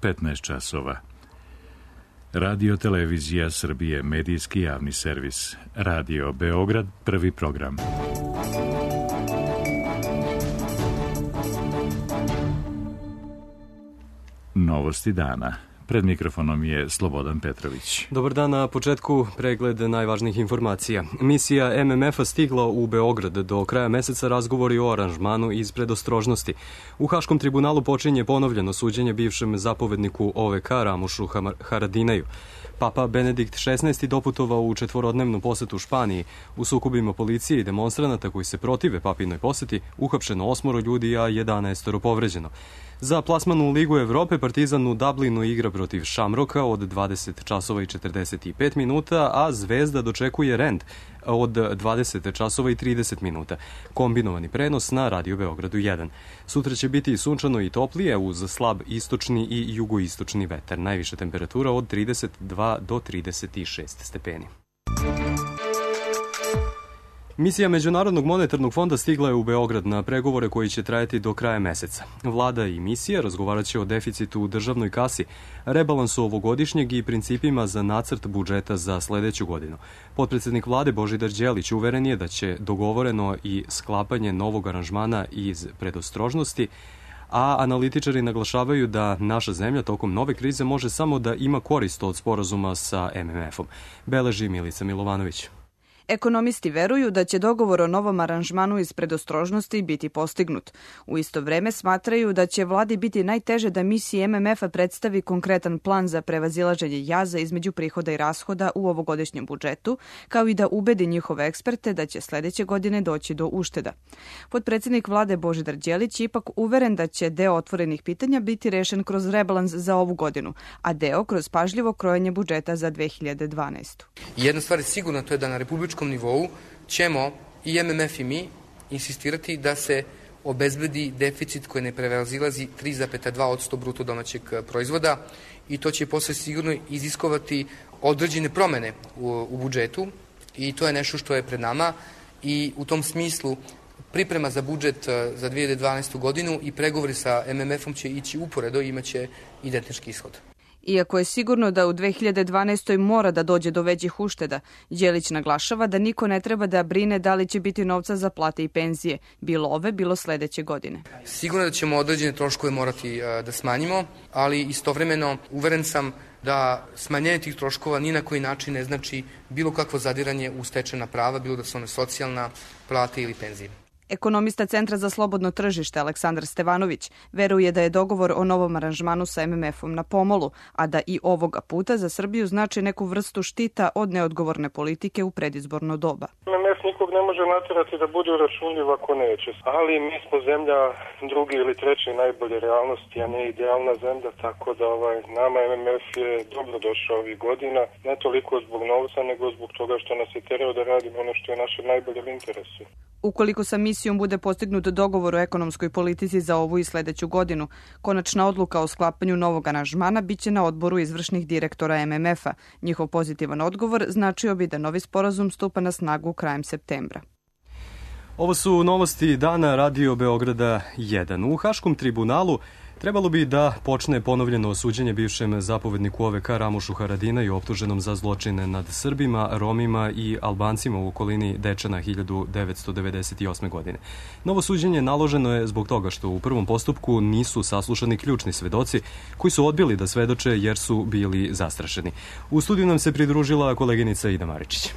15 časova. Radio Televizija Srbije, medijski javni servis. Radio Beograd, prvi program. Novosti dana. Pred mikrofonom je Slobodan Petrović. Dobar dan, na početku pregled najvažnijih informacija. Misija MMF-a stigla u Beograd. Do kraja meseca razgovori o aranžmanu iz predostrožnosti. U Haškom tribunalu počinje ponovljeno suđenje bivšem zapovedniku OVK Ramušu Haradinaju. Papa Benedikt XVI doputovao u četvorodnevnu posetu Španiji. U sukobima policije i demonstranata koji se protive papinoj poseti uhapšeno 8 ljudi, a 11 povređeno. Za plasman u Ligu Evrope Partizan u Dublinu igra protiv Šamroka od 20 časova i 45 minuta, a Zvezda dočekuje Rend od 20 časova i 30 minuta. Kombinovani prenos na Radio Beogradu 1. Sutra će biti sunčano i toplije uz slab istočni i jugoistočni vetar. Najviša temperatura od 32 do 36 stepeni. Misija Međunarodnog monetarnog fonda stigla je u Beograd na pregovore koji će trajati do kraja meseca. Vlada i misija razgovarat će o deficitu u državnoj kasi, rebalansu ovogodišnjeg i principima za nacrt budžeta za sledeću godinu. Potpredsednik vlade Božidar Đelić uveren je da će dogovoreno i sklapanje novog aranžmana iz predostrožnosti, a analitičari naglašavaju da naša zemlja tokom nove krize može samo da ima korist od sporazuma sa MMF-om. Beleži Milica Milovanović. Ekonomisti veruju da će dogovor o novom aranžmanu iz predostrožnosti biti postignut. U isto vreme smatraju da će vladi biti najteže da misiji MMF-a predstavi konkretan plan za prevazilaženje jaza između prihoda i rashoda u ovogodišnjem budžetu, kao i da ubedi njihove eksperte da će sledeće godine doći do ušteda. Potpredsednik vlade Božidar Đelić je ipak uveren da će deo otvorenih pitanja biti rešen kroz rebalans za ovu godinu, a deo kroz pažljivo krojenje budžeta za 2012. Jedna stvar je sigurna, to je da na republičkom nivou ćemo i MMF i mi insistirati da se obezbedi deficit koji ne prevazilazi 3,2% bruto domaćeg proizvoda i to će posle sigurno iziskovati određene promene u budžetu i to je nešto što je pred nama i u tom smislu priprema za budžet za 2012. godinu i pregovori sa MMF-om će ići uporedo i imaće identički ishod. Iako je sigurno da u 2012. mora da dođe do većih ušteda, Đelić naglašava da niko ne treba da brine da li će biti novca za plate i penzije, bilo ove, bilo sledeće godine. Sigurno da ćemo određene troškove morati da smanjimo, ali istovremeno uveren sam da smanjenje tih troškova ni na koji način ne znači bilo kakvo zadiranje u stečena prava, bilo da su one socijalna, plate ili penzije. Ekonomista Centra za slobodno tržište Aleksandar Stevanović veruje da je dogovor o novom aranžmanu sa MMF-om na pomolu, a da i ovoga puta za Srbiju znači neku vrstu štita od neodgovorne politike u predizborno doba. MMF nikog ne može naterati da bude uračunljiv ako neće, ali mi smo zemlja drugi ili treći najbolje realnosti, a ne idealna zemlja, tako da nama MMF je dobro došao ovih godina, ne toliko zbog novca, nego zbog toga što nas je terao da radimo ono što je naše najbolje interesu. Ukoliko sa misijom bude postignut dogovor o ekonomskoj politici za ovu i sledeću godinu, konačna odluka o sklapanju novog aranžmana biće na odboru izvršnih direktora MMF-a. Njihov pozitivan odgovor značio bi da novi sporazum stupa na snagu krajem septembra. Ovo su novosti dana Radio Beograda 1. U Haškom tribunalu trebalo bi da počne ponovljeno suđenje bivšem zapovedniku OVK Ramušu Haradinaju optuženom za zločine nad Srbima, Romima i Albancima u okolini Dečana 1998. godine. Novo suđenje naloženo je zbog toga što u prvom postupku nisu saslušani ključni svedoci koji su odbili da svedoče jer su bili zastrašeni. U studiju nam se pridružila koleginica Ida Maričić.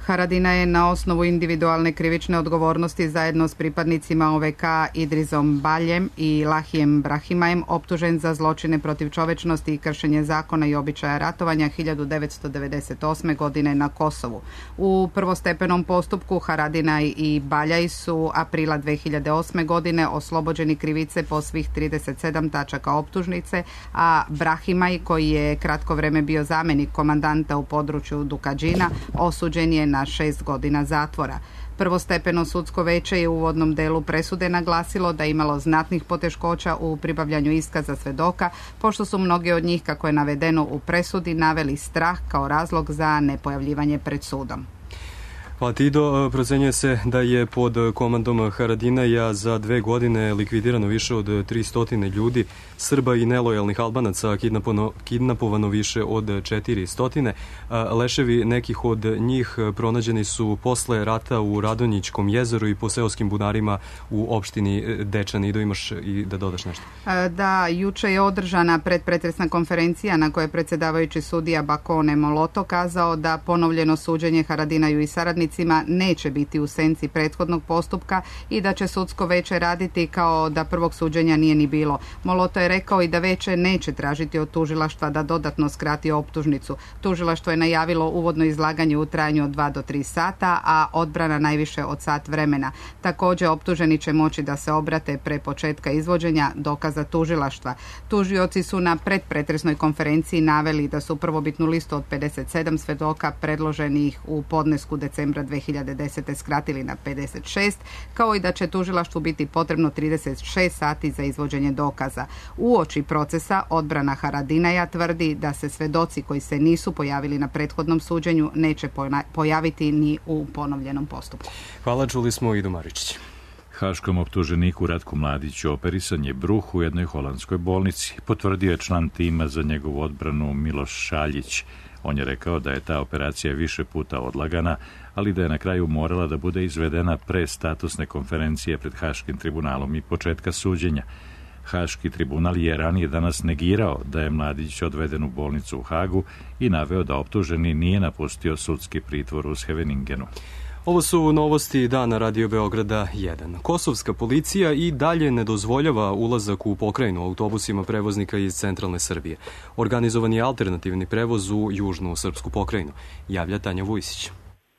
Haradina je na osnovu individualne krivične odgovornosti zajedno s pripadnicima OVK Idrizom Baljem i Lahijem Brahimajem optužen za zločine protiv čovečnosti i kršenje zakona i običaja ratovanja 1998. godine na Kosovu. U prvostepenom postupku Haradina i Baljaj su aprila 2008. godine oslobođeni krivice po svih 37 tačaka optužnice, a Brahimaj, koji je kratko vreme bio zamenik komandanta u području Dukadžina, osuđen je na 6 godina zatvora. Prvostepeno sudsko veće je u uvodnom delu presude naglasilo da je imalo znatnih poteškoća u pribavljanju iskaza svedoka, pošto su mnoge od njih, kako je navedeno u presudi, naveli strah kao razlog za nepojavljivanje pred sudom. Pa Tido, procenjuje se da je pod komandom Haradinaja za 2 godine likvidirano više od 300 ljudi, Srba i nelojalnih Albanaca kidnapovano više od 400. Leševi nekih od njih pronađeni su posle rata u Radonjićkom jezeru i po seoskim bunarima u opštini Dečani. Ido, imaš i da dodaš nešto? Da, juče je održana predpretresna konferencija na kojoj je predsjedavajući sudija Bakone Moloto kazao da ponovljeno suđenje Haradinaju i saradnicima neće biti u senci prethodnog postupka i da će sudsko veće raditi kao da prvog suđenja nije ni bilo. Moloto je rekao i da veće neće tražiti od tužilaštva da dodatno skrati optužnicu. Tužilaštvo je najavilo uvodno izlaganje u trajanju od 2 do 3 sata, a odbrana najviše od sat vremena. Također optuženi će moći da se obrate pre početka izvođenja dokaza tužilaštva. Tužioci su na predpretresnoj konferenciji naveli da su prvobitnu listu od 57 svedoka predloženih u podnesku decembra 2010. skratili na 56, kao i da će tužilaštvu biti potrebno 36 sati za izvođenje dokaza. Uoči procesa odbrana Haradinaja tvrdi da se svedoci koji se nisu pojavili na prethodnom suđenju neće pojaviti ni u ponovljenom postupku. Hvala, čuli smo Idu Maričić. Haškom optuženiku Ratku Mladiću operisan je bruh u jednoj holandskoj bolnici. Potvrdio je član tima za njegovu odbranu Miloš Šaljić. On je rekao da je ta operacija više puta odlagana, ali da je na kraju morala da bude izvedena pre statusne konferencije pred Haškim tribunalom i početka suđenja. Haški tribunal je ranije danas negirao da je Mladić odveden u bolnicu u Hagu i naveo da optuženi nije napustio sudski pritvor u Scheveningenu. Ovo su novosti dana Radio Beograda 1. Kosovska policija i dalje ne dozvoljava ulazak u pokrajinu autobusima prevoznika iz centralne Srbije. Organizovan je alternativni prevoz u južnu srpsku pokrajinu, javlja Tanja Vujsić.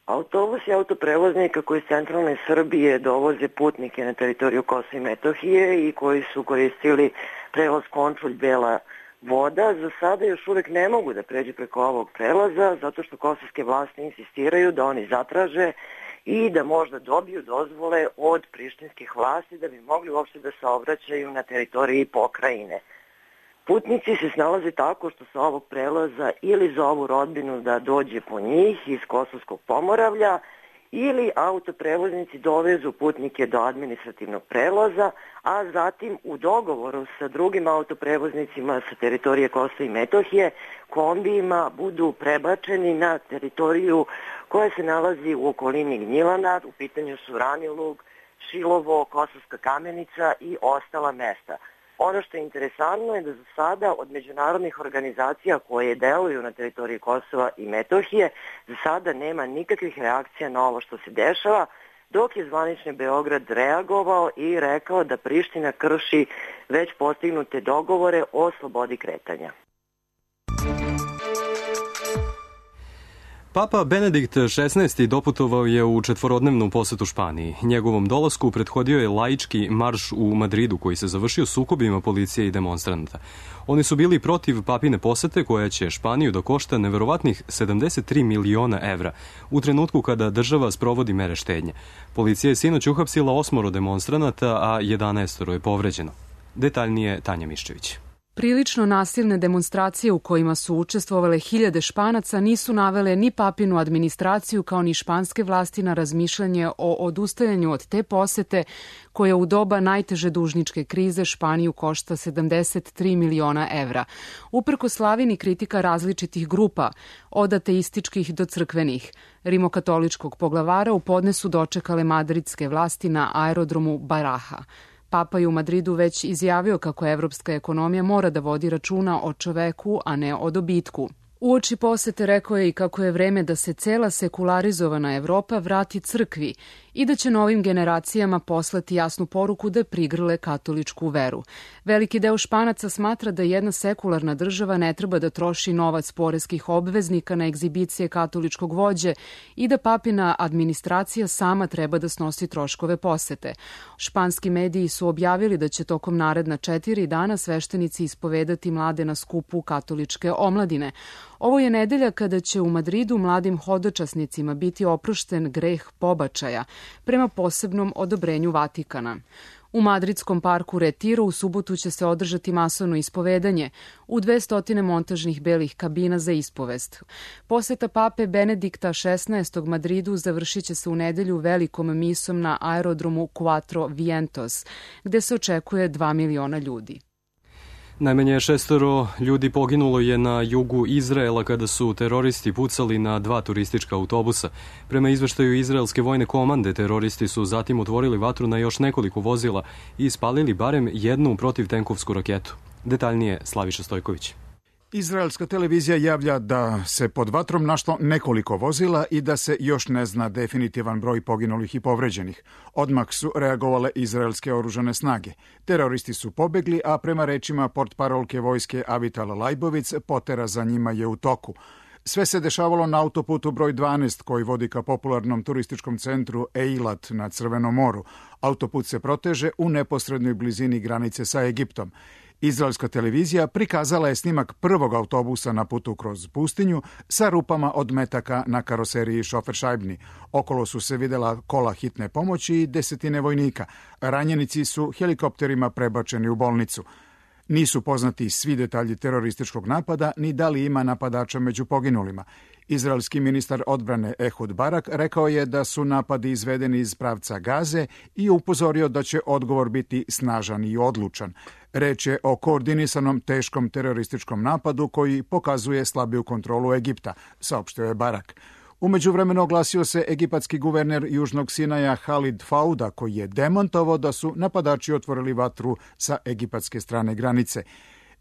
Autobusi autoprevoznika koji iz centralne Srbije dovoze putnike na teritoriju Kosova i Metohije i koji su koristili prevoz Končulj Bela Voda, za sada još uvek ne mogu da pređu preko ovog prelaza zato što kosovske vlasti insistiraju da oni zatraže i da možda dobiju dozvole od prištinskih vlasti da bi mogli uopšte da saobraćaju na teritoriji pokrajine. Putnici se snalaze tako što sa ovog prelaza ili zovu rodbinu da dođe po njih iz Kosovskog Pomoravlja ili autoprevoznici dovezu putnike do administrativnog prelaza, a zatim u dogovoru sa drugim autoprevoznicima sa teritorije Kosova i Metohije kombijima budu prebačeni na teritoriju koja se nalazi u okolini Gnjilana, u pitanju su Ranilug, Šilovo, Kosovska Kamenica i ostala mesta. Ono što je interesantno je da za sada od međunarodnih organizacija koje deluju na teritoriji Kosova i Metohije za sada nema nikakvih reakcija na ovo što se dešava, dok je zvanični Beograd reagovao i rekao da Priština krši već postignute dogovore o slobodi kretanja. Papa Benedikt XVI. Doputovao je u 4-dnevnu posetu Španiji. Njegovom dolasku prethodio je laički marš u Madridu koji se završio sukobima policije i demonstranata. Oni su bili protiv papine posete koja će Španiju da košta neverovatnih 73 miliona evra u trenutku kada država sprovodi mere štednje. Policija je sinoć uhapsila 8 demonstranata, a 11 je povređeno. Detaljnije Tanja Miščević. Prilično nasilne demonstracije u kojima su učestvovale hiljade Španaca nisu navele ni papinu administraciju kao ni španske vlasti na razmišljanje o odustajanju od te posete koja u doba najteže dužničke krize Španiju košta 73 miliona evra. Uprko slavini kritika različitih grupa, od ateističkih do crkvenih, rimokatoličkog poglavara u podnesu dočekale madridske vlasti na aerodromu Baraja. Papa je u Madridu već izjavio kako evropska ekonomija mora da vodi računa o čoveku, a ne o dobitku. Uoči posete rekao je i kako je vreme da se cela sekularizovana Evropa vrati crkvi i da će novim generacijama poslati jasnu poruku da prigrle katoličku veru. Veliki deo Španaca smatra da jedna sekularna država ne treba da troši novac poreskih obveznika na egzibicije katoličkog vođe i da papina administracija sama treba da snosi troškove posete. Španski mediji su objavili da će tokom naredna 4 dana sveštenici ispovedati mlade na skupu katoličke omladine. Ovo je nedelja kada će u Madridu mladim hodočasnicima biti oprošten greh pobačaja prema posebnom odobrenju Vatikana. U madridskom parku Retiro u subotu će se održati masovno ispovedanje u 200 montažnih belih kabina za ispovest. Poseta pape Benedikta XVI. Madridu završit će se u nedelju velikom misom na aerodromu Cuatro Vientos, gde se očekuje 2 miliona ljudi. Najmanje 6 ljudi poginulo je na jugu Izraela kada su teroristi pucali na 2 turistička autobusa. Prema izveštaju izraelske vojne komande, teroristi su zatim otvorili vatru na još nekoliko vozila i ispalili barem jednu protivtenkovsku raketu. Detaljnije Slaviša Stojković. Izraelska televizija javlja da se pod vatrom našlo nekoliko vozila i da se još ne zna definitivan broj poginulih i povređenih. Odmah su reagovale izraelske oružane snage. Teroristi su pobegli, a prema rečima portparolke vojske Avital Lajbovic, potera za njima je u toku. Sve se dešavalo na autoputu broj 12 koji vodi ka popularnom turističkom centru Eilat na Crvenom moru. Autoput se proteže u neposrednoj blizini granice sa Egiptom. Izraelska televizija prikazala je snimak prvog autobusa na putu kroz pustinju sa rupama od metaka na karoseriji šoferšajbni. Okolo su se videla kola hitne pomoći i desetine vojnika. Ranjenici su helikopterima prebačeni u bolnicu. Nisu poznati svi detalji terorističkog napada, ni da li ima napadača među poginulima. Izraelski ministar odbrane Ehud Barak rekao je da su napadi izvedeni iz pravca Gaze i upozorio da će odgovor biti snažan i odlučan. Reč je o koordinisanom teškom terorističkom napadu koji pokazuje slabiju kontrolu Egipta, saopštio je Barak. U međuvremenu oglasio se egipatski guverner Južnog Sinaja Halid Fauda, koji je demantovao da su napadači otvorili vatru sa egipatske strane granice.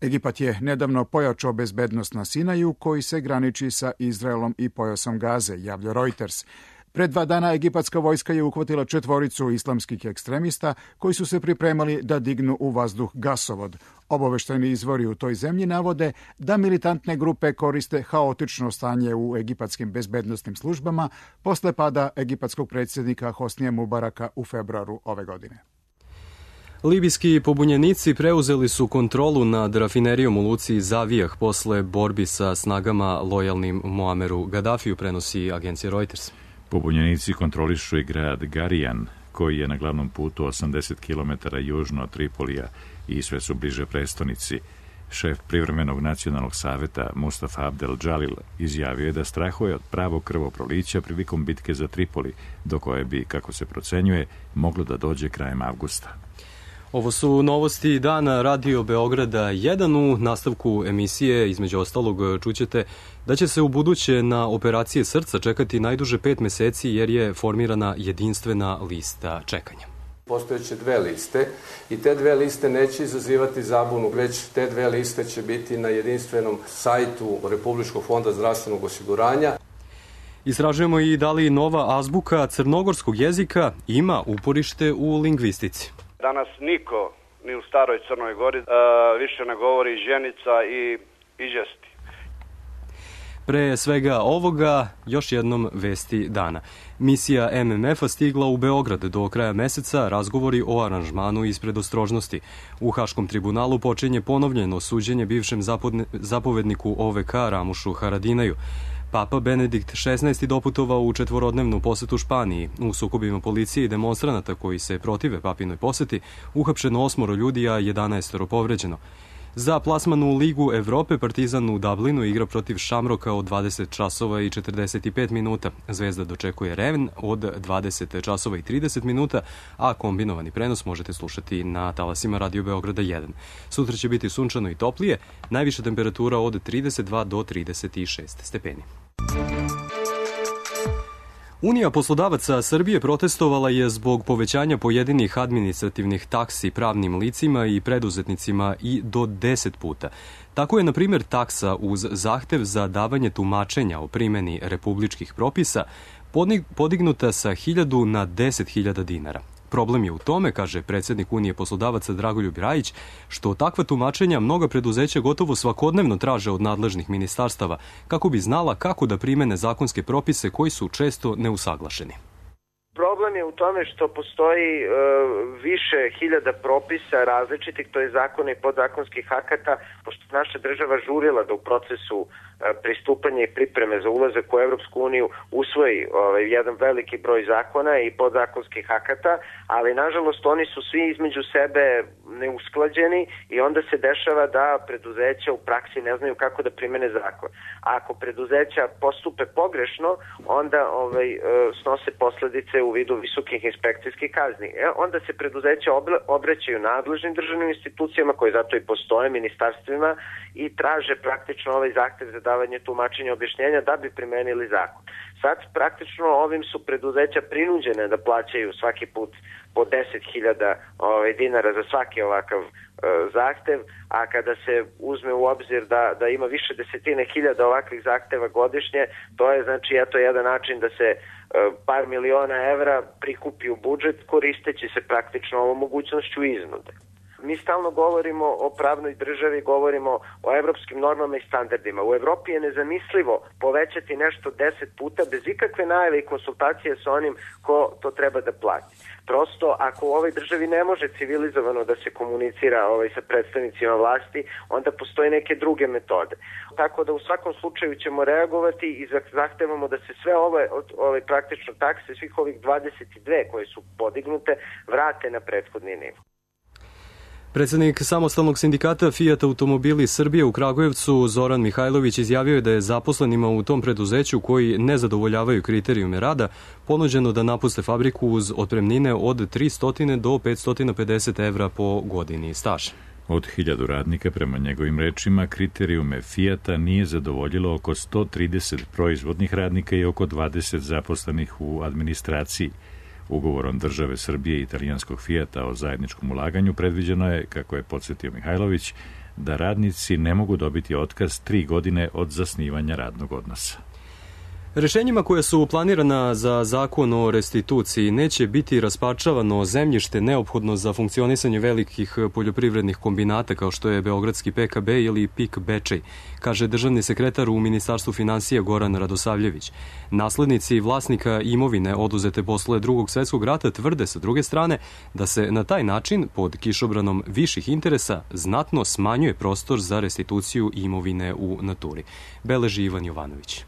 Egipat je nedavno pojačao bezbednost na Sinaju, koji se graniči sa Izraelom i pojasom Gaze, javlja Reuters. Pred 2 dana egipatska vojska je uhvatila 4 islamskih ekstremista koji su se pripremali da dignu u vazduh gasovod. Obaveštajni izvori u toj zemlji navode da militantne grupe koriste haotično stanje u egipatskim bezbednostnim službama posle pada egipatskog predsjednika Hosnija Mubaraka u februaru ove godine. Libijski pobunjenici preuzeli su kontrolu nad rafinerijom u luci Zavijah posle borbi sa snagama lojalnim Muameru Gaddafiju, prenosi agencija Reuters. Pobunjenici kontrolišu i grad Garijan, koji je na glavnom putu 80 km južno od Tripolija i sve su bliže prestonici. Šef privremenog nacionalnog saveta Mustafa Abdel Džalil izjavio je da strahuje od pravog krvoprolića prilikom bitke za Tripoli, do koje bi, kako se procenjuje, moglo da dođe krajem avgusta. Ovo su novosti dana Radio Beograda 1. U nastavku emisije, između ostalog, čućete da će se u buduće na operacije srca čekati najduže 5 meseci jer je formirana jedinstvena lista čekanja. Postojeće 2 liste i te 2 liste neće izazivati zabunu, već te 2 liste će biti na jedinstvenom sajtu Republičkog fonda zdravstvenog osiguranja. Istražujemo i da li nova azbuka crnogorskog jezika ima uporište u lingvistici. Danas niko, ni u staroj Crnoj Gori, više ne govori ženica i žesti. Pre svega ovoga, još jednom vesti dana. Misija MMF-a stigla u Beograd do kraja meseca, razgovori o aranžmanu iz predostrožnosti. U Haškom tribunalu počinje ponovljeno suđenje bivšem zapovedniku OVK Ramušu Haradinaju. Papa Benedikt XVI. Doputovao u 4-dnevnu posetu Španiji. U sukobima policije i demonstranata koji se protive papinoj poseti uhapšeno 8 ljudi, a 11 povređeno. Za plasman u Ligu Evrope Partizan u Dublinu igra protiv Šamroka od 20 časova i 45 minuta. Zvezda dočekuje Reven od 20 časova i 30 minuta, a kombinovani prenos možete slušati na talasima Radio Beograda 1. Sutra će biti sunčano i toplije, najviša temperatura od 32 do 36 stepeni. Unija poslodavaca Srbije protestovala je zbog povećanja pojedinih administrativnih taksi pravnim licima i preduzetnicima i do 10 puta. Tako je, na primjer, taksa uz zahtev za davanje tumačenja o primjeni republičkih propisa podignuta sa 1.000 na 10.000 dinara. Problem je u tome, kaže predsjednik Unije poslodavaca Dragoljub Rajić, što takva tumačenja mnoga preduzeća gotovo svakodnevno traže od nadležnih ministarstava kako bi znala kako da primene zakonske propise koji su često neusaglašeni. problem je u tome što postoji više hiljada propisa različitih, to je zakona i podzakonskih akata, pošto naša država žurila da u procesu pristupanja i pripreme za ulazak u Evropsku uniju usvoji jedan veliki broj zakona i podzakonskih akata, ali nažalost oni su svi između sebe neusklađeni i onda se dešava da preduzeća u praksi ne znaju kako da primene zakon. A ako preduzeća postupe pogrešno, onda snose posledice u vidu visokih inspekcijskih kazni. Onda se preduzeća obraćaju nadležnim državnim institucijama, koje zato i postoje, ministarstvima, i traže praktično ovaj zahtev za davanje tumačenja objašnjenja da bi primenili zakon. Sad praktično ovim su preduzeća prinuđene da plaćaju svaki put po 10.000 dinara za svaki ovakav zahtev, a kada se uzme u obzir da ima više desetine hiljada ovakvih zahteva godišnje, to je znači jedan način da se par miliona evra prikupi u budžet koristeći se praktično ovom mogućnošću iznude. Mi stalno govorimo o pravnoj državi, govorimo o evropskim normama i standardima. U Evropi je nezamislivo povećati nešto 10 puta bez ikakve najave i konsultacije sa onim ko to treba da plati. Prosto, ako u ovoj državi ne može civilizovano da se komunicira sa predstavnicima vlasti, onda postoje neke druge metode. Tako da u svakom slučaju ćemo reagovati i zahtevamo da se sve ove praktično takse, svih ovih 22 koje su podignute, vrate na prethodni nivo. Predsednik samostalnog sindikata Fiat Automobili Srbije u Kragujevcu Zoran Mihajlović izjavio je da je zaposlenima u tom preduzeću koji ne zadovoljavaju kriterijume rada ponuđeno da napuste fabriku uz otpremnine od 300 do 550 evra po godini staža. Od 1000 radnika, prema njegovim rečima, kriterijume Fiata nije zadovoljilo oko 130 proizvodnih radnika i oko 20 zaposlenih u administraciji. Ugovorom države Srbije i italijanskog Fijata o zajedničkom ulaganju predviđeno je, kako je podsjetio Mihajlović, da radnici ne mogu dobiti otkaz 3 godine od zasnivanja radnog odnosa. Rešenjima koja su planirana za zakon o restituciji neće biti rasparčavano zemljište neophodno za funkcionisanje velikih poljoprivrednih kombinata kao što je Beogradski PKB ili PIK Bečej, kaže državni sekretar u Ministarstvu finansija Goran Radosavljević. Naslednici vlasnika imovine oduzete posle Drugog svetskog rata tvrde sa druge strane da se na taj način pod kišobranom viših interesa znatno smanjuje prostor za restituciju imovine u naturi. Beleži Ivan Jovanović.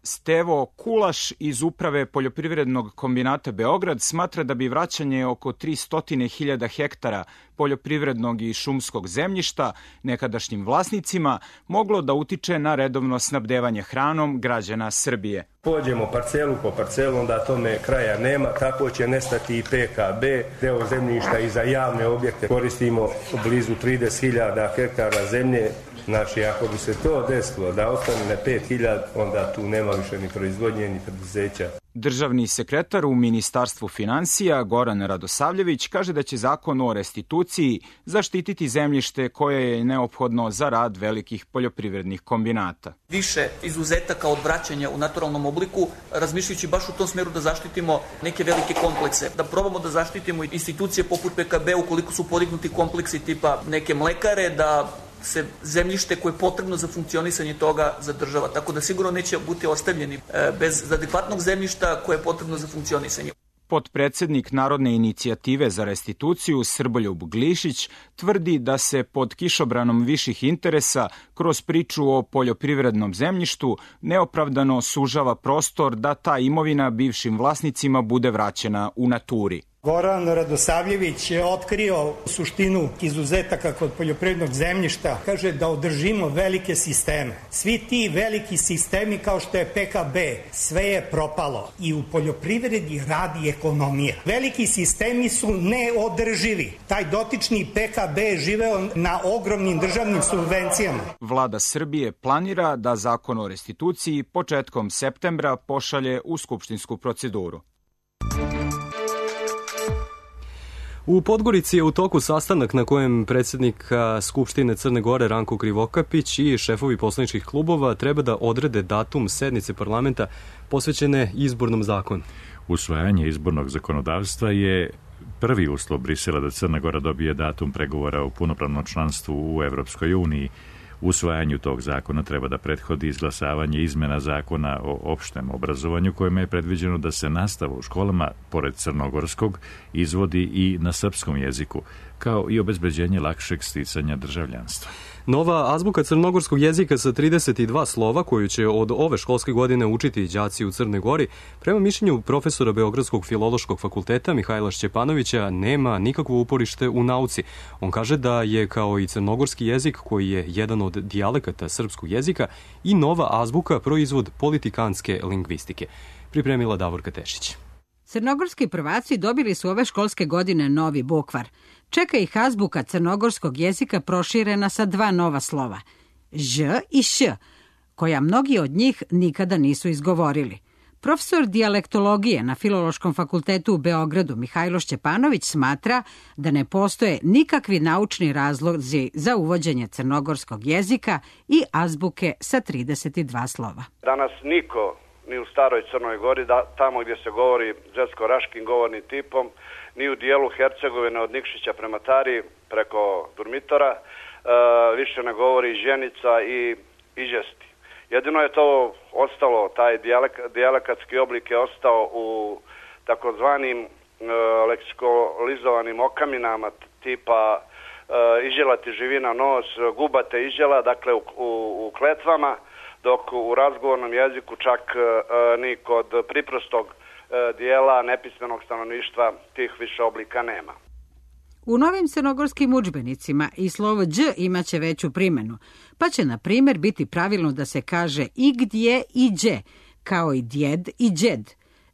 Stevo Kulaš iz Uprave poljoprivrednog kombinata Beograd smatra da bi vraćanje oko 300.000 hektara poljoprivrednog i šumskog zemljišta nekadašnjim vlasnicima moglo da utiče na redovno snabdevanje hranom građana Srbije. Pođemo parcelu po parcelu, onda tome kraja nema, tako će nestati i PKB, deo zemljišta i za javne objekte. Koristimo blizu 30.000 hektara zemlje. Znači, ako bi se to desilo da ostane na 5.000, onda tu nema više ni proizvodnje, ni preduzeća. Državni sekretar u Ministarstvu finansija Goran Radosavljević kaže da će zakon o restituciji zaštititi zemljište koje je neophodno za rad velikih poljoprivrednih kombinata. Više izuzetaka od vraćanja u naturalnom obliku, razmišljajući baš u tom smeru da zaštitimo neke velike komplekse, da probamo da zaštitimo institucije poput PKB ukoliko su podignuti kompleksi tipa neke mlekare, da se zemljište koje je potrebno za funkcionisanje toga zadržava. Tako da sigurno neće biti ostavljeni bez adekvatnog zemljišta koje je potrebno za funkcionisanje. Potpredsednik Narodne inicijative za restituciju Srboljub Glišić tvrdi da se pod kišobranom viših interesa kroz priču o poljoprivrednom zemljištu neopravdano sužava prostor da ta imovina bivšim vlasnicima bude vraćena u naturi. Goran Radosavljević je otkrio suštinu izuzetaka kod poljoprivrednog zemljišta. Kaže da održimo velike sisteme. Svi ti veliki sistemi kao što je PKB, sve je propalo i u poljoprivredi radi ekonomija. Veliki sistemi su neodrživi. Taj dotični PKB je živeo na ogromnim državnim subvencijama. Vlada Srbije planira da zakon o restituciji početkom septembra pošalje u skupštinsku proceduru. U Podgorici je u toku sastanak na kojem predsjednik Skupštine Crne Gore Ranko Krivokapić i šefovi poslaničkih klubova treba da odrede datum sednice parlamenta posvećene izbornom zakonu. Usvajanje izbornog zakonodavstva je prvi uslov Brisela da Crna Gora dobije datum pregovora o punopravnom članstvu u Evropskoj uniji. Usvajanju tog zakona treba da prethodi izglasavanje izmena zakona o opštem obrazovanju, kojima je predviđeno da se nastava u školama, pored crnogorskog, izvodi i na srpskom jeziku, kao i obezbeđenje lakšeg sticanja državljanstva. Nova azbuka crnogorskog jezika sa 32 slova, koju će od ove školske godine učiti đaci u Crnoj Gori, prema mišljenju profesora Beogradskog filološkog fakulteta Mihajla Šćepanovića, nema nikakvo uporište u nauci. On kaže da je, kao i crnogorski jezik, koji je jedan od dijalekata srpskog jezika, i nova azbuka proizvod politikanske lingvistike. Pripremila Davorka Tešić. Crnogorski prvaci dobili su ove školske godine novi bukvar. Čeka ih azbuka crnogorskog jezika proširena sa 2 nova slova, Ž i Š, koja mnogi od njih nikada nisu izgovorili. Profesor dijalektologije na Filološkom fakultetu u Beogradu Mihajlo Šćepanović smatra da ne postoje nikakvi naučni razlozi za uvođenje crnogorskog jezika i azbuke sa 32 slova. Danas niko ni u staroj Crnoj Gori, tamo gdje se govori zetsko-raškim govornim tipom, ni u dijelu Hercegovine od Nikšića prema Tari preko Durmitora, više ne govori ženica i ižesti. Jedino je to ostalo, taj dijalekatski oblik je ostao u takozvanim leksikalizovanim okaminama tipa ižela ti živi na nos, guba te ižela, dakle u kletvama, dok u razgovornom jeziku čak ni kod priprostog dijela nepismenog stanovništva tih više oblika nema. U novim crnogorskim udžbenicima i slovo đ imaće veću primjenu, pa će na primjer biti pravilno da se kaže i gdje i đe, kao i djed i đed.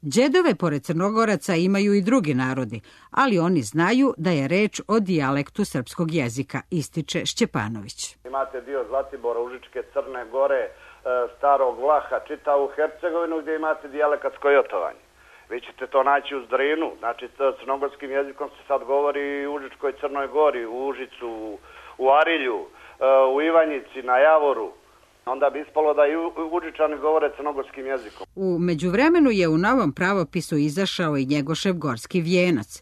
Đedove pored Crnogoraca imaju i drugi narodi, ali oni znaju da je reč o dijalektu srpskog jezika, ističe Šćepanović. Imate dio Zlatibora, Užičke, Crne Gore, Starog Vlaha, čitavu Hercegovinu gdje imate dijalekatsko jotovanje. Vi ćete to naći u Zdrinu, znači crnogorskim jezikom se sad govori u Užičkoj Crnoj Gori, u Užicu, u Arilju, u Ivanjici, na Javoru. Onda bi ispalo da i Užičani govore crnogorskim jezikom. U međuvremenu je u novom pravopisu izašao i Njegošev gorski vijenac.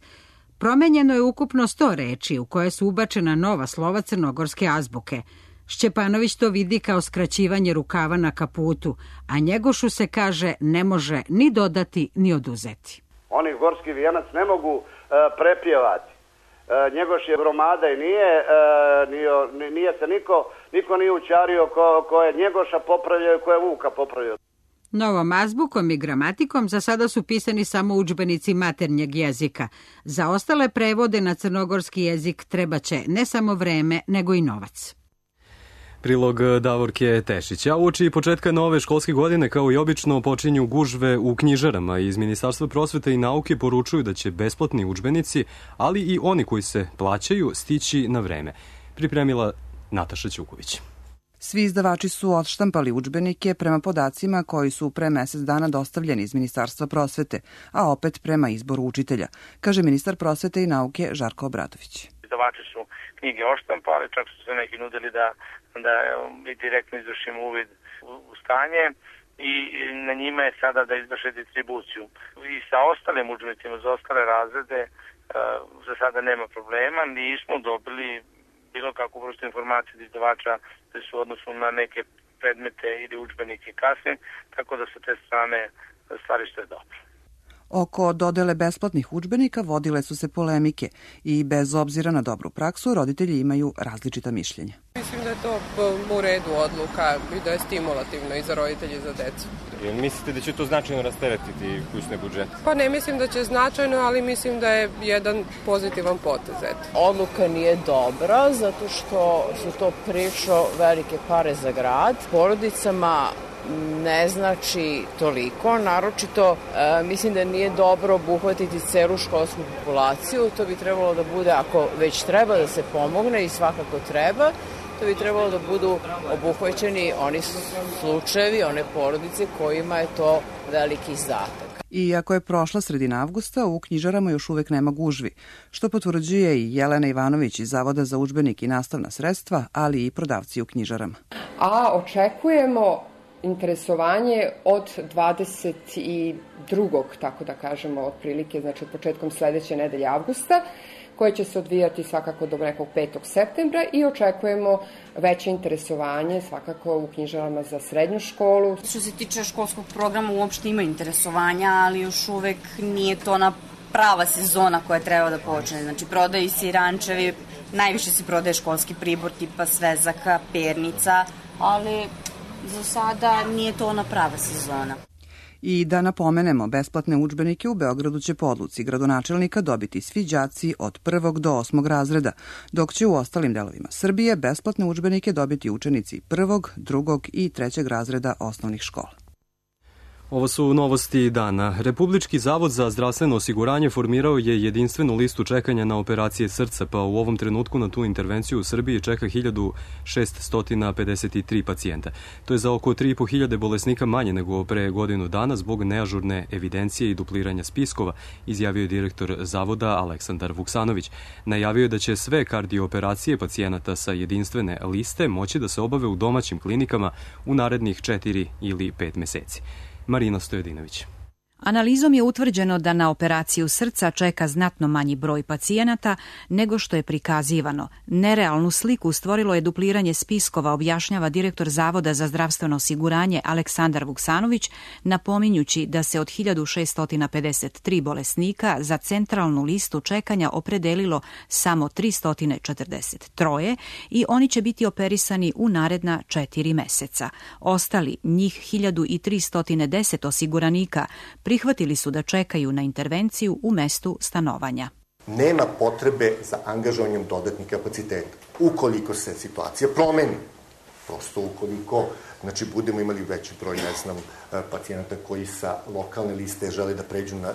Promenjeno je ukupno 100 reči u koje su ubačena nova slova crnogorske azbuke. Šćepanović to vidi kao skraćivanje rukava na kaputu, a Njegošu se kaže ne može ni dodati ni oduzeti. Oni gorski vijenac ne mogu prepjevati. Njegoš je gromada i nije se niko nije učario ko je Njegoša popravljao i ko je Vuka popravljao. Novom azbukom i gramatikom za sada su pisani samo udžbenici maternjeg jezika. Za ostale prevode na crnogorski jezik treba će ne samo vreme, nego i novac. Prilog Davorke Tešić. A uoči početka nove školske godine, kao i obično, počinju gužve u knjižarama. Iz Ministarstva prosvete i nauke poručuju da će besplatni udžbenici, ali i oni koji se plaćaju, stići na vreme. Pripremila Nataša Ćuković. Svi izdavači su odštampali udžbenike prema podacima koji su pre mesec dana dostavljeni iz Ministarstva prosvete, a opet prema izboru učitelja, kaže ministar prosvete i nauke Žarko Obradović. Izdavači su knjige oštampali, čak su se neki nudili da direktno izvršimo uvid u stanje i na njima je sada da izvrše distribuciju. I sa ostalim udžbenicima za ostale razrede za sada nema problema, nismo dobili bilo kakvu vrstu informacije od izdavača da su u odnosu na neke predmete ili udžbenike kasne, tako da sa te strane stvari što je dobro. Oko dodele besplatnih udžbenika vodile su se polemike i bez obzira na dobru praksu roditelji imaju različita mišljenja. Mislim da je to u redu odluka i da je stimulativno i za roditelji i za decu. Mislite da će to značajno rasteretiti kućne budžete? Pa ne mislim da će značajno, ali mislim da je jedan pozitivan potez. Odluka nije dobra zato što su to prilično velike pare za grad. Porodicama ne znači toliko, naročito mislim da nije dobro obuhvatiti celu školsku populaciju, to bi trebalo da bude, ako već treba da se pomogne i svakako treba, to bi trebalo da budu obuhvaćeni oni slučajevi, one porodice kojima je to veliki izdatak. Iako je prošla sredina avgusta, u knjižarama još uvek nema gužvi, što potvrđuje i Jelena Ivanović iz Zavoda za udžbenik i nastavna sredstva, ali i prodavci u knjižarama. A očekujemo interesovanje od 22. tako da kažemo, otprilike, znači početkom sledeće nedelje avgusta, koje će se odvijati svakako do nekog 5. septembra i očekujemo veće interesovanje svakako u knjižarama za srednju školu. Što se tiče školskog programa uopšte ima interesovanja, ali još uvek nije to ona prava sezona koja treba da počne. Znači prodaju se i rančevi, najviše se prodaje školski pribor tipa svezaka, pernica, ali za sada nije to ona prava sezona. I da napomenemo, besplatne udžbenike u Beogradu će po odluci gradonačelnika dobiti svi đaci od 1. do 8. razreda, dok će u ostalim delovima Srbije besplatne udžbenike dobiti učenici 1., 2. i 3. razreda osnovnih škola. Ovo su novosti dana. Republički zavod za zdravstveno osiguranje formirao je jedinstvenu listu čekanja na operacije srca, pa u ovom trenutku na tu intervenciju u Srbiji čeka 1653 pacijenta. To je za oko 3.500 bolesnika manje nego pre godinu dana zbog neažurne evidencije i dupliranja spiskova, izjavio je direktor zavoda Aleksandar Vuksanović. Najavio je da će sve kardiooperacije pacijenata sa jedinstvene liste moći da se obave u domaćim klinikama u narednih 4 ili 5 meseci. Marina Stojedinović. Analizom je utvrđeno da na operaciju srca čeka znatno manji broj pacijenata nego što je prikazivano. Nerealnu sliku stvorilo je dupliranje spiskova, objašnjava direktor Zavoda za zdravstveno osiguranje Aleksandar Vuksanović, napominjući da se od 1653 bolesnika za centralnu listu čekanja opredelilo samo 343 i oni će biti operisani u naredna 4 meseca. Ostali, njih 1310 osiguranika, prihvatili su da čekaju na intervenciju u mestu stanovanja. Nema potrebe za angažovanjem dodatnih kapaciteta. Ukoliko se situacija promeni, prosto ukoliko budemo imali veći broj, pacijenata koji sa lokalne liste žele da pređu na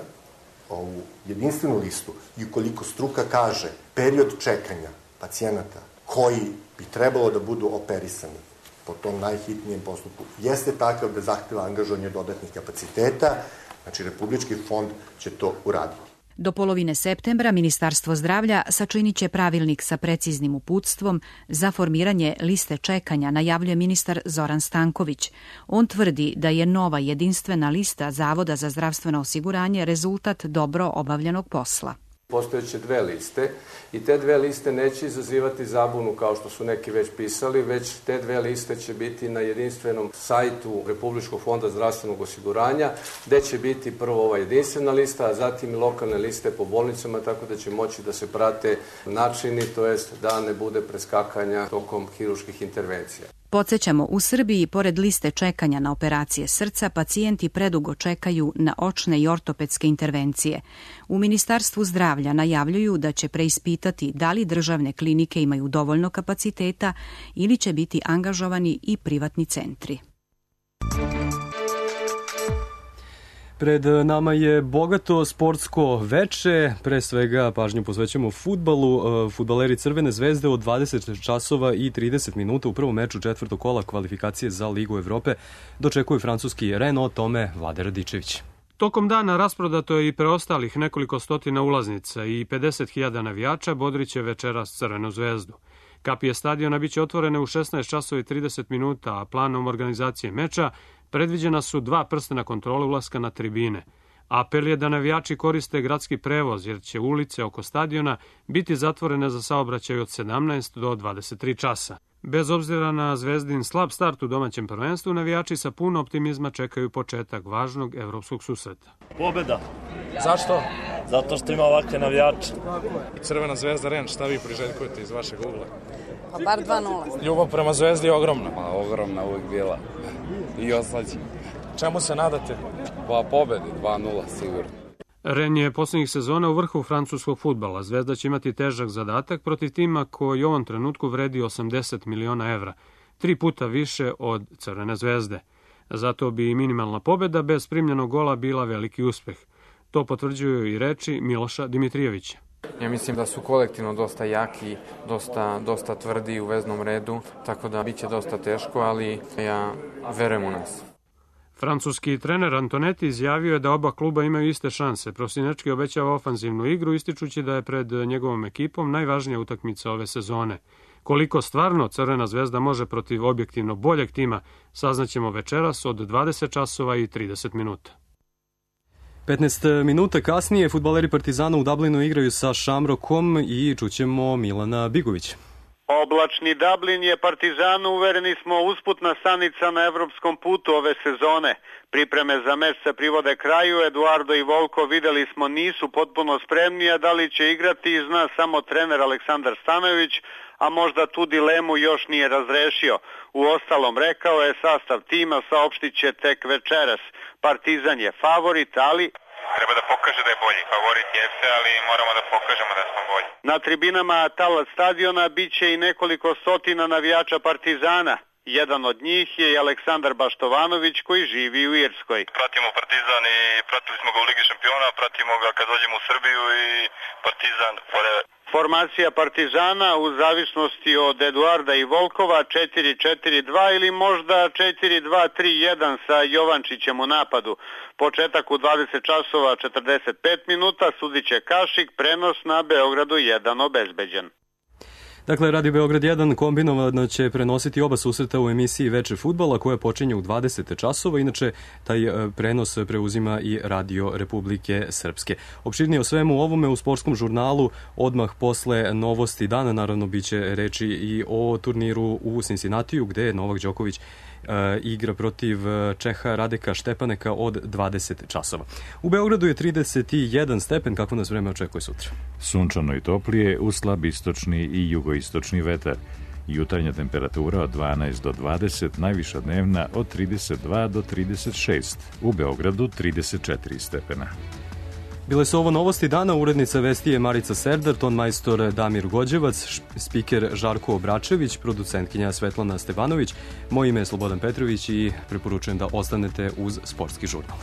ovu jedinstvenu listu i ukoliko struka kaže period čekanja pacijenata koji bi trebalo da budu operisani po tom najhitnijem postupku jeste takav da zahteva angažovanje dodatnih kapaciteta, znači Republički fond će to uraditi. Do polovine septembra Ministarstvo zdravlja sačinit će pravilnik sa preciznim uputstvom za formiranje liste čekanja, najavljuje ministar Zoran Stanković. On tvrdi da je nova jedinstvena lista Zavoda za zdravstveno osiguranje rezultat dobro obavljenog posla. Postojeće 2 liste i te 2 liste neće izazivati zabunu kao što su neki već pisali, već te 2 liste će biti na jedinstvenom sajtu Republičkog fonda zdravstvenog osiguranja, gde će biti prvo ova jedinstvena lista, a zatim i lokalne liste po bolnicama, tako da će moći da se prate načini, to jest da ne bude preskakanja tokom hirurških intervencija. Podsjećamo, u Srbiji, pored liste čekanja na operacije srca, pacijenti predugo čekaju na očne i ortopedske intervencije. U Ministarstvu zdravlja najavljuju da će preispitati da li državne klinike imaju dovoljno kapaciteta ili će biti angažovani i privatni centri. Pred nama je bogato sportsko veče, pre svega pažnju posvećamo fudbalu. Fudbaleri Crvene zvezde od 20 časova i 30 minuta u prvom meču 4. kola kvalifikacije za Ligu Evrope dočekuju francuski Rennes, o tome Vlade Radičević. Tokom dana rasprodato je i preostalih nekoliko stotina ulaznica i 50.000 navijača bodriće večeras Crvenu zvezdu. Kapije stadiona biće otvorene u 16 časova i 30 minuta, a planom organizacije meča predviđena su 2 prstena kontrole ulaska na tribine. Apel je da navijači koriste gradski prevoz, jer će ulice oko stadiona biti zatvorene za saobraćaj od 17 do 23 časa. Bez obzira na Zvezdin slab start u domaćem prvenstvu, navijači sa puno optimizma čekaju početak važnog evropskog susreta. Pobeda. Zašto? Zato što ima ovakve navijače. Crvena zvezda Rennes, šta vi priželjkujete iz vašeg ugla? Pa bar 2-0. Ljubav prema zvezdi je ogromna. Pa ogromna uvijek bila. I oslađe. Čemu se nadate? Pa pobedi 2-0 sigurno. Rennes je posljednjih sezona u vrhu francuskog fudbala. Zvezda će imati težak zadatak protiv tima koji u ovom trenutku vredi 80 miliona evra, 3 puta više od Crvene zvezde. Zato bi i minimalna pobeda bez primljenog gola bila veliki uspeh. To potvrđuju i reči Miloša Dimitrijevića. Ja mislim da su kolektivno dosta jaki, dosta tvrdi u veznom redu, tako da biće dosta teško, ali ja verujem u nas. Francuski trener Antonetti izjavio je da oba kluba imaju iste šanse. Prosinečki obećava ofanzivnu igru, ističući da je pred njegovom ekipom najvažnija utakmica ove sezone. Koliko stvarno Crvena zvezda može protiv objektivno boljeg tima, saznaćemo večeras od 20 časova i 30 minuta. 15 minuta kasnije fudbaleri Partizana u Dublinu igraju sa Shamrockom i čućemo Milana Bigovića. Oblačni Dublin je Partizanu, uvereni smo, usputna stanica na evropskom putu ove sezone. Pripreme za meč se privode kraju, Eduardo i Volko, videli smo, nisu potpuno spremni, a da li će igrati zna samo trener Aleksandar Stanojević, a možda tu dilemu još nije razrešio. U ostalom, rekao je, sastav tima saopštit će tek večeras. Partizan je favorit, ali treba da pokaže da je bolji. Favorit jeste, ali moramo da pokažemo da smo bolji. Na tribinama Talat stadiona biće i nekoliko stotina navijača Partizana. Jedan od njih je i Aleksandar Baštovanović koji živi u Irskoj. Pratimo Partizan i pratili smo ga u Ligi šampiona, pratimo ga kad dođemo u Srbiju i Partizan forever. Formacija Partizana u zavisnosti od Eduarda i Volkova 4-4-2 ili možda 4-2-3-1 sa Jovančićem u napadu. Početak u 20 časova 45 minuta, sudit će Kašik, prenos na Beogradu 1 obezbeđen. Dakle, Radio Beograd 1 kombinovano će prenositi oba susreta u emisiji Veče fudbala koja počinje u 20 časova. Inače, taj prenos preuzima i Radio Republike Srpske. Opširnije o svemu ovome u sportskom žurnalu odmah posle novosti dana. Naravno, biće reči i o turniru u Cincinnatiju gde je Novak Đoković igra protiv Čeha Radeka Štepaneka od 20 časova. U Beogradu je 31 stepen, kako nas vreme očekuje sutra. Sunčano i toplije, uz slab istočni i jugoistočni vetar. Jutarnja temperatura od 12 do 20, najviša dnevna od 32 do 36. U Beogradu 34 stepena. Bile su ovo novosti dana, urednica vesti je Marica Serdar, tonmajstor Damir Gođevac, spiker Žarko Obračević, producentkinja Svetlana Stevanović. Moje ime je Slobodan Petrović i preporučujem da ostanete uz sportski žurnal.